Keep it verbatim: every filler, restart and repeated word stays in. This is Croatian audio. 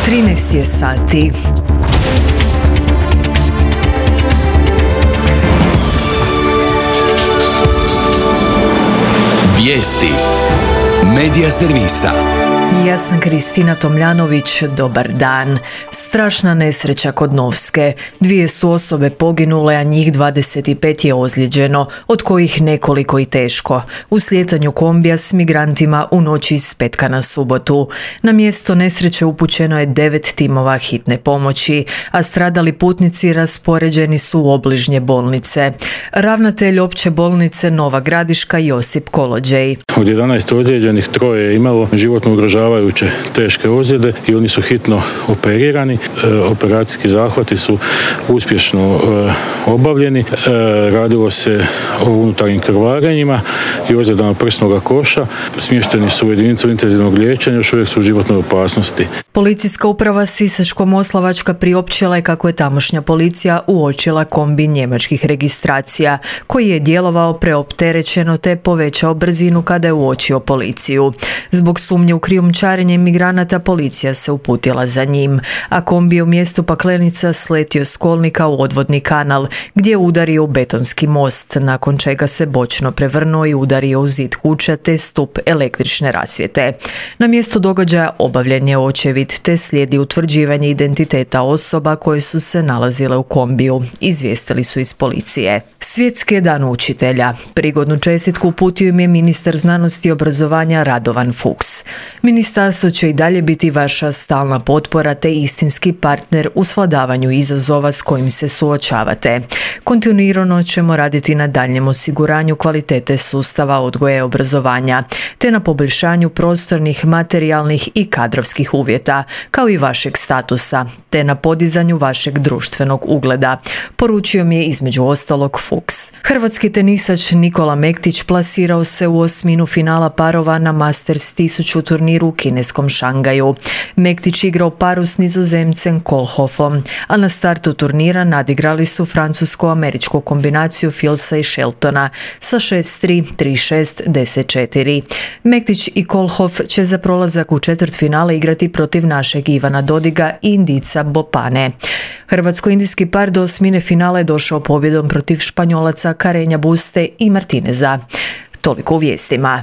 trinaest je sati. Vijesti Medija servisa. Ja sam Kristina Tomljanović, dobar dan. Strašna nesreća kod Novske. Dvije su osobe poginule, a njih dvadeset pet je ozlijeđeno, od kojih nekoliko i teško, u slijetanju kombija s migrantima u noći iz petka na subotu. Na mjesto nesreće upućeno je devet timova hitne pomoći, a stradali putnici raspoređeni su u obližnje bolnice. Ravnatelj opće bolnice Nova Gradiška Josip Kolođej. Od jedanaest ozlijeđenih troje je imalo životno ugrožavajuće teške ozljede i oni su hitno operirani. E, operacijski zahvati su uspješno e, obavljeni. E, radilo se o unutarnjim krvarenjima i ozljedama prsnog koša. Smješteni su u jedinicu intenzivnog liječenja, još uvijek su u životnoj opasnosti. Policijska uprava Sisačko-moslavačka priopćila je kako je tamošnja policija uočila kombi njemačkih registracija, koji je djelovao preopterećeno te povećao brzinu kada je uočio policiju. Zbog sumnje u krijumčarenje migranata policija se uputila za njim, a kombi je u mjestu Paklenica sletio s kolnika u odvodni kanal, gdje je udario u betonski most, nakon čega se bočno prevrnuo i udario u zid kuća te stup električne rasvjete. Na mjestu događaja obavljen je očevid te slijedi utvrđivanje identiteta osoba koje su se nalazile u kombiju, izvijestili su iz policije. Svjetski je dan učitelja. Prigodnu čestitku uputio im je ministar znanosti i obrazovanja Radovan Fuchs. Ministarstvo će i dalje biti vaša stalna potpora te istinski partner u svladavanju izazova s kojim se suočavate. Kontinuirano ćemo raditi na daljnjem osiguranju kvalitete sustava odgoja i obrazovanja, te na poboljšanju prostornih, materijalnih i kadrovskih uvjeta, kao i vašeg statusa, te na podizanju vašeg društvenog ugleda, poručio mi je između ostalog Fuchs. Hrvatski tenisač Nikola Mektić plasirao se u osminu finala parova na Masters tisuću turniru u kineskom Šangaju. Mektić igrao paru s Nizozemcem Kohlhoffom, a na startu turnira nadigrali su francusko-američku kombinaciju Filsa i Sheltona sa šest tri, tri šest, deset četiri. Mektić i Kohlhoff će za prolazak u četvrtfinale igrati protiv našeg Ivana Dodiga i Indica Bopane. Hrvatsko-indijski par do osmine finala je došao pobjedom protiv Španjolaca Carreña Buste i Martineza. Toliko u vijestima.